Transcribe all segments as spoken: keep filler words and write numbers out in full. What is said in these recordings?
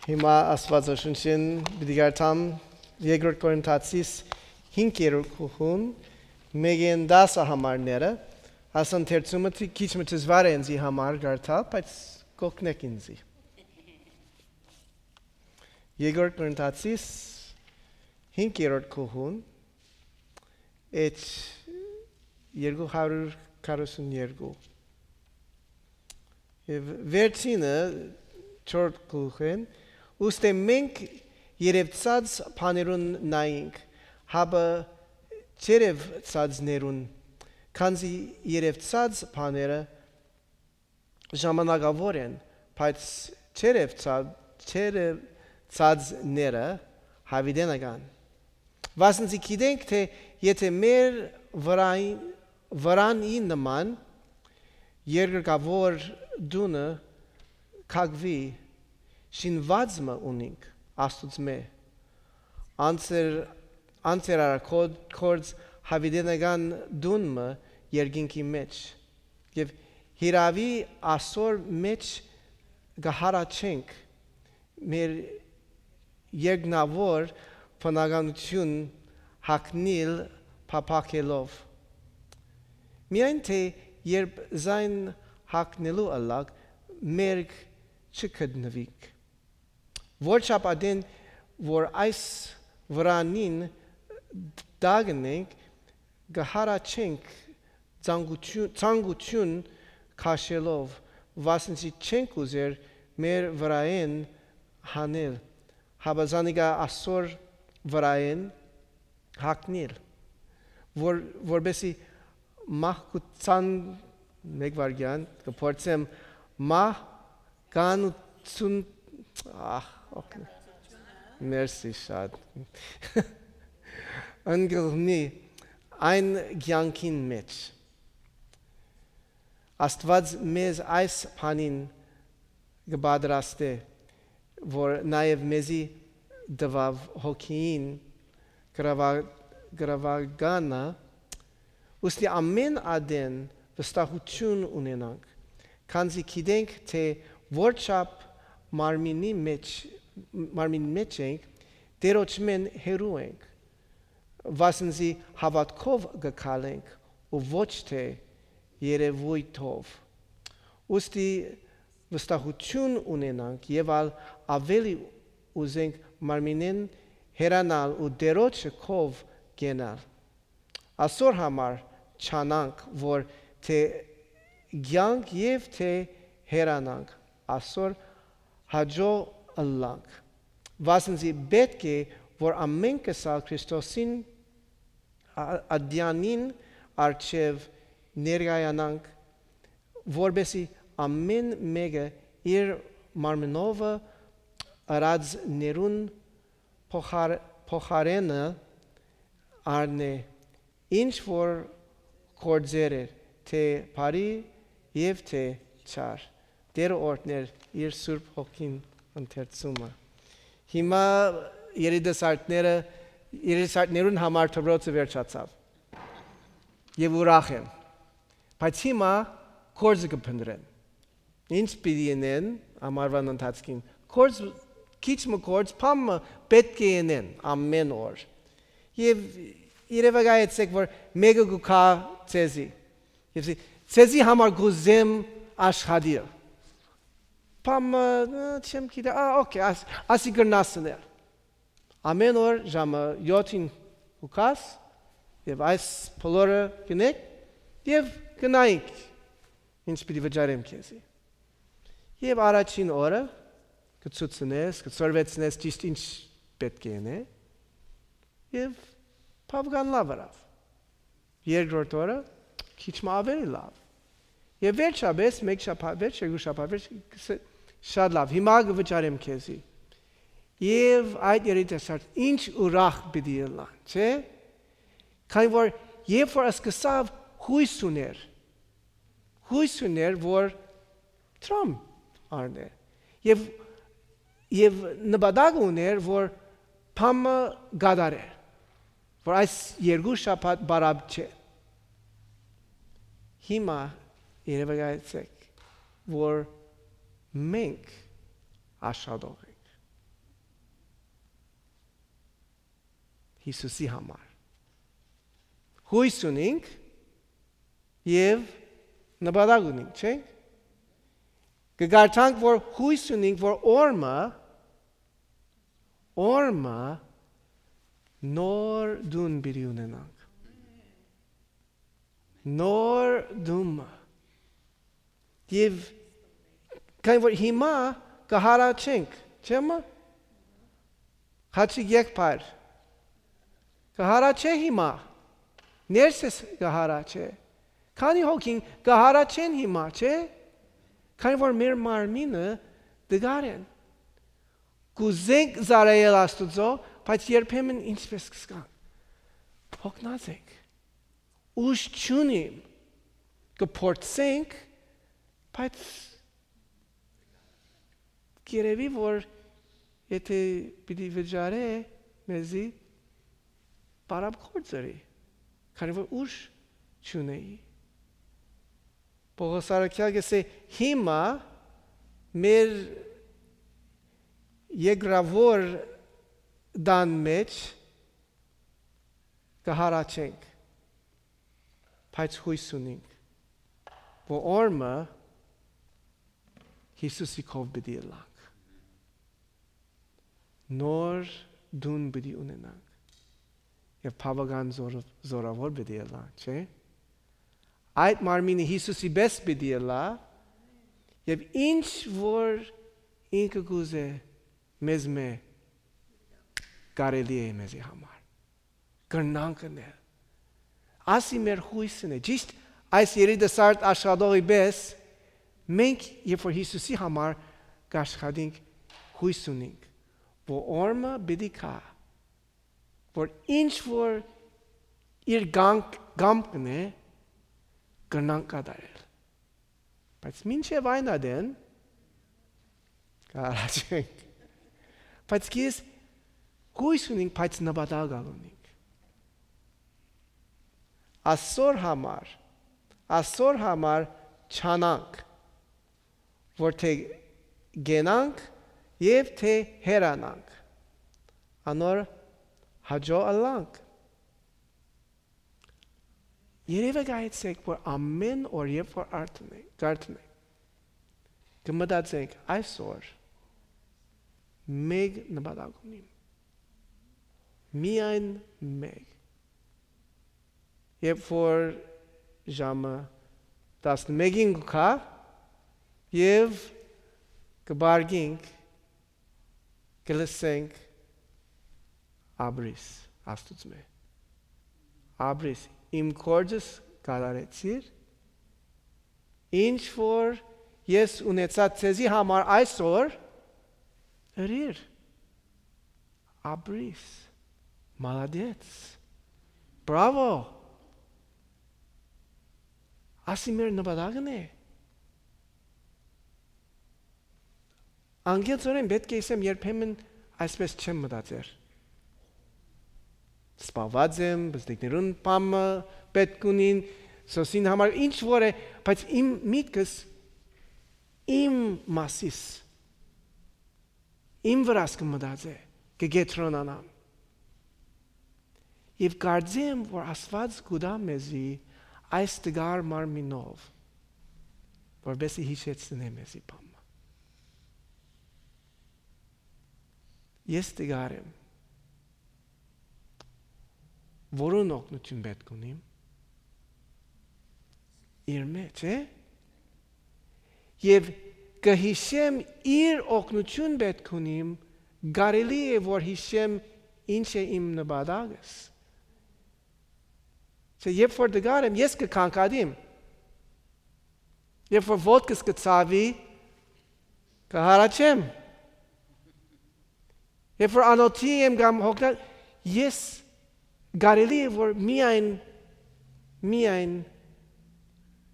Հիմա Աստուածաշունչէն պիտի կարդամ Երկրորդ Կորինթացիս հինգերորդ գլխուն, մէկէն տասը համարները, ասեն թերցումը թի-, քիչ մը դժուար է ինձի համար կարդալ, բայց կօգնեք ինձի։ Երկրորդ Կորինթացիս հինգերորդ գլխուն, էջ երկու հարյուր քառասուն երկու։ Եւ վերջինը, չորրորդ գլխէն, ուստի մենք երեւցած բաներուն նայինք, հապա չերեւցածներուն, քանզի երեւցած բաները ժամանակաւոր են, բայց չերեւցած, չերեւցածները յաւիտենական։ Վասն զի գիտենք թէ եթէ մեր վրայի, վրանի նման երկրկաւոր տունը կակուի, շինուած մը ունինք Աստուծմէ, անցեր, անցեր արագոտ գործ յաւիտենական տուն մը երկինքի մէջ, եւ հիրաւի ասոր մէջ կը հառաչենք մեր երկնաւոր բնականութիւն յագնիլ փափաքելով։ Միայն թէ երբ զայն յագնելու ըլլաք, մերկ չգտնուիք։ Որչափ ատեն որ այս վրանին տակն ենք, կը հառաչենք ցանկութիւն, ցանկութիւն քաշելով, վասն զի չենք ուզեր մեր վրայէն հանել, հապա զանիկա ասոր վրայէն յագնիլ, որ, որպեսզի մահկության, մեկ վայրկյան, կը փորձեմ, մահ կանություն, ահ, օգնի, մերսի շատ, ընկղմի այն կեանքին մէջ։ Աստուած մեզ այս բանին կը պատրաստէ, որ նաեւ մեզի տուաւ հոգիին գրաւա-, գրաւականը, ուստի ամէն ատեն վստահութիւն ունենանք, քանզի գիտենք թէ որչափ մարմինի մէջ, մարմին մէջ ենք, Տէրոջմէն հեռու ենք, վասն զի հաւատքով կը քալենք ու ոչ թէ երեւոյթով։ Ուստի վստահութիւն ունենանք եւ ալ աւելի ուզենք մարմինէն հեռանալ ու Տէրոջը քով կենալ։ Ասոր համար չանանք, որ թէ կեանք եւ թէ հեռանանք, ասոր հաճոյ ըլլանք։ Վասն զի պէտք է, որ ամէնքս ալ Քրիստոսին ա-, ատեանին առջեւ ներկայանանք, որպեսզի ամէն մէկը իր մարմնովը ըրածներուն փոխար-, փոխարէնը առնէ, ինչ որ գործեր էր, թէ բարի եւ թէ չար։ Տէրը օրհներ իր Սուրբ Հոգին ընթերցումը։ Հիմա երիտասարդները, երիտասարդներուն համար դպրոցը վերջացաւ եւ ուրախ են, բայց հիմա գործը կը փնտռեն։ Ինչ պիտի ընեն ամառուան ընթացքին։ Գործ, քիչ մը գործ, բան մը պէտք է ընեն ամէն օր։ Եւ երեւակայեցէք, որ մէկը կու գայ ձեզի։ Եւ ասի, «Ձեզի համար կ'ուզեմ աշխատիլ»։ Բան մը, «Ա, չեմ գիտեր, ա, օքէ, աս-, ասի կրնաս ընել»։ Ամէն օր ժամը յոթին կու գաս եւ այս բոլորը կ'ընեք եւ կը նայինք ինչ պիտի վճարեմ քեզի։ Եւ առաջին օրը կը ցուցնես, կը սորվեցնես ճիշդ ինչ պէտք է ընե, եւ բավական լաւ ըրաւ։ Երկրորդ օրը քիչ մը աւելի լաւ։ Եւ վերջապէս, մեկ շաբաթ, վերջ, երկու շաբաթ, վերջ, կ'ըսէ, «Շատ լաւ, հիմա կը վճարեմ քեզի»։ Եւ այդ երիտասարդ ինչ ուրախ պիտի ըլլան, չէ՞։ Քանի որ երբ որ սկսաւ, յոյս ունէր, յոյս ունէր, որ դրամ առնէ։ Եւ, եւ նպատակ ունէր, որ բան մը կատարէ, որ այս երկու շաբաթ բարապ չէ։ Հիմա երեւակայեցէք, որ մենք աշխատող ենք։ Յիսուսի համար։ Յոյս ունինք եւ նպատակ ունինք, չէ՞։ Կը կարդանք, որ յոյս ունինք, որ օրմը, օրմը նոր տուն պիտի ունենանք։ Նոր տունը։ Եւ քանի որ հիմա կը հառաչենք, չէ՞, մը, խաչի եկբայր, կը հառաչէ հիմա, ներսես կը հառաչէ։ Քանի՞ հոգին կը հառաչեն հիմա, չէ՞։ Քանի որ մեր մարմինը տկար են։ Կ'ուզենք ծառայել Աստուծոյ, բայց երբեմն ինչպես կ'զգանք, յոգնած ենք, ուժ չունիմ, կը փորձենք, բայց կ'երեւի, որ եթէ պիտի վճարէ մեզի, պարապ գործ ըրի, քանի որ ուժ չունէի։ Պողոս առաքեալ կ'ըսէ, հիմա մեր երկրաւոր տան մէջ կը հառաչենք, բայց յոյս ունինք, որ օրմը Յիսուսի քով պիտի ըլլանք, նոր տուն պիտի ունենանք եւ բաւական զոր-, զորաւոր պիտի ըլլանք, չէ՞։ Այդ մարմինը Յիսուսի պէս պիտի ըլլայ եւ ինչ որ ինքը կ'ուզէ մեզմէ, կարելի է մեզի համար, կրնանք ընել։ Ասի մեր յոյսն է, ճիշտ այս երիտասարդ աշխատողի պէս, մենք, երբ որ Յիսուսի համար կ'աշխատենք, յոյս ունինք, որ օրմը պիտի գայ, որ ինչ որ իր կամք-, կամքն է, կրնանք կատարել։ Բայց մինչեւ այն ատեն կ'առաջենք։ Բայց քեզ յոյս ունինք, բայց նպատակ ալ ունինք։ Ասոր համար, ասոր համար չանանք, որ թէ կենանք եւ թէ հեռանանք, անոր հաճոյ ըլլանք։ Երեւէ գայեցեք, որ ամէն օր, երբ որ արթնենք, կարդնենք, կը մտածենք, այսօր մեկ նպատակ ունիմ, միայն մեկ։ Երբ որ ժամը տասնմէկին կու գայ եւ կը պառկենք, կը լսենք. «Ապրիս Աստուծմէ, ապրիս, իմ գործս կատարեցիր, ինչ որ ես ունեցած ձեզի համար այսօր, ըրիր, ապրիս, մալադեց, բրավո»։ Ասի մեր նպատակն է։ Անկեղծօրէն պէտք է ըսեմ, երբեմն այսպես չեմ մտածեր։ Սպաված եմ, բզդիկներուն պամը պէտք ունին, սոսին համար ինչ որ է, բայց իմ միտքս, իմ մասիս, իմ վրաս կը մտածէ, կը կեդրոնանամ։ Եւ կարծեմ, որ Աստուած կու տայ մեզի այս տկար մարմինով, որպեսզի յիշեցնէ մեզի բանը։ Ես տկար եմ։ Որուն օգնութիւն պէտք ունիմ։ Իրմէ, չէ՞։ Եւ կը յիշեմ իր օգնութիւն պէտք ունիմ, կարելի է որ յիշեմ ինչ է իմ նպատակս։ Չէ, երբ որ տկար եմ, ես կը կանգատիմ։ Երբ որ ոտքս կը ցաւի, կը հառաչեմ։ Երբ որ անօթի եմ կամ հոգնած, ես կարելի է որ միայն, միայն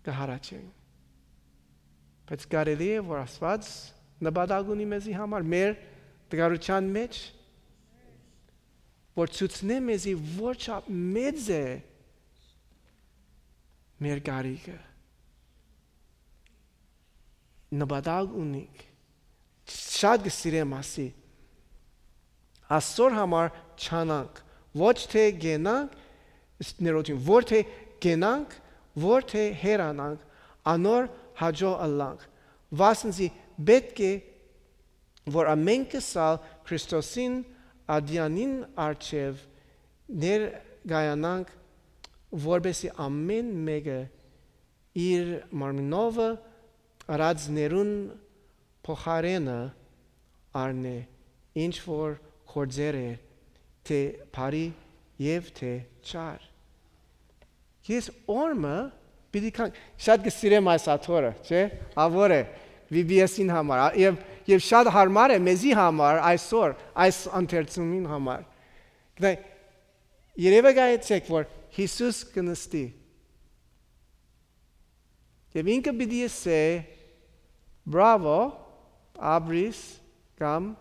կը հառաչեմ։ Բայց կարելի է որ Աստուած նպատակ ունի մեզի համար, մեր տկարութեան մէջ, որ ցուցնէ մեզի որչափ մեծ է մեր կարիքը։ Նպատակ ունինք, շատ կը սիրեմ ասի, ասոր համար չանանք, Ոչ թէ կենանք, ս-, ներողություն, որ թէ կենանք, որ թէ հեռանանք, անոր հաճոյ ըլլանք, վասն զի պէտք է, որ ամէնքս ալ Քրիստոսին ատեանին առջեւ ներկայանանք, որպէսզի ամէն մէկը իր մարմինովը ըրածներուն փոխարէնը առնէ, ինչ որ գործեր է, թէ բարի եւ թէ չար։ Ես օրմը պիտի կան, շատ կը սիրեմ այս աթոռը, չէ՞, ավոր է, V B S-ին համար, ա, եւ, եւ շատ հարմար է մեզի համար այսօր, այս ընթերցումին համար։ Գիտե, երևակայեցեք, որ Յիսուս կը նստի։ Եւ ինքը պիտի ըսէ, "Բրավո, ապրիս", կամ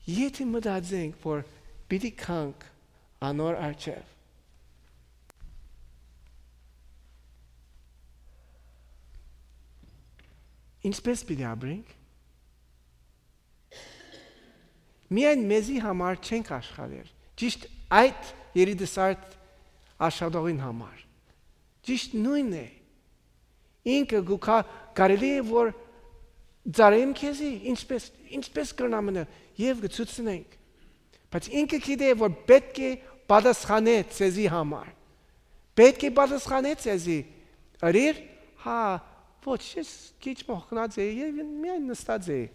եթէ մտածենք, որ պիտի գանք անոր առջեւ, ինչպէս պիտի ապրենք։ Միայն մեզի համար չենք աշխատեր, ճիշտ այդ երիտասարդ աշխատողին համար։ Ճիշտ նոյնն է։ Ինքը գուքա, կարելի է որ ծառայեմ քեզի, ինչպես, ինչպես կրնամ մնել, եւ կցուցնենք։ Բայց ինքը գիտէ, որ պէտք է պատասխանե ցեզի համար։ Պէտք է պատասխանե ցեզի։ Ըրիր, հա, ոչ, ես քիչ մոխքնած էի եւ միայն նստած էի։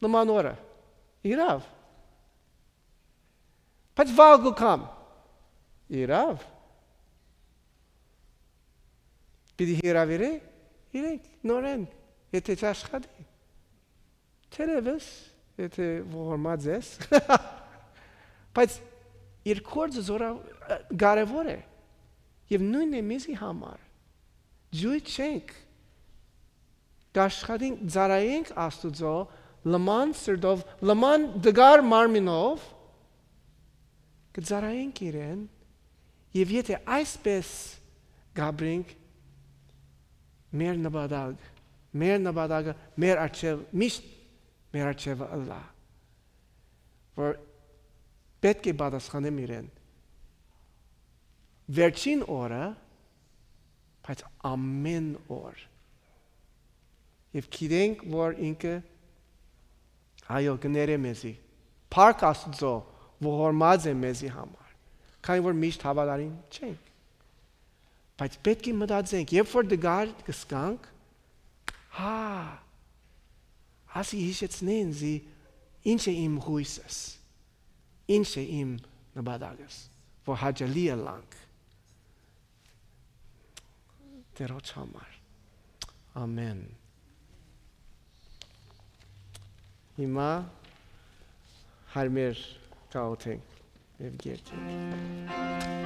Նման օրը։ Իրաւ։ Բայց վաղ կու կամ։ Իրաւ։ Պիտի հրավիրե իրենք նորեն, եթե չաշխատի։ Թերևս, եթե ողորմած ես, բայց իր գործը զորա-, կարևոր է։ Եւ նոյնն է մեզի համար։ Ջոյ չենք, կաշխատենք, ծառայենք Աստուծոյ լման սրտով, լման տկար մարմինով, կը ծառայենք իրեն, եւ եթե այսպես կապրենք, մեր նպատակ, մեր նպատակը մեր առջեւ, միշտ մեր առջեւը ըլլայ, որ պէտք է պատասխանեմ իրեն վերջին օրը, բայց ամէն օր։ Եւ գիտենք, որ ինքը, այո, կը ներէ մեզի։ Փառք Աստուծոյ, որ ողորմած է մեզի համար, քանի որ միշտ հաւատարիմ չենք։ Բայց պէտք է մտածենք, երբ որ տկար կ'ըսնենք, հա, ասի յիշեցնե ինծի, ինչ է իմ յուսս, ինչ է իմ նպատակս, որ հաճելի ըլլանք Տիրոջ համար։ Ամէն։ Հիմա հարմեր կ'աղօթենք եւ կ'երթենք։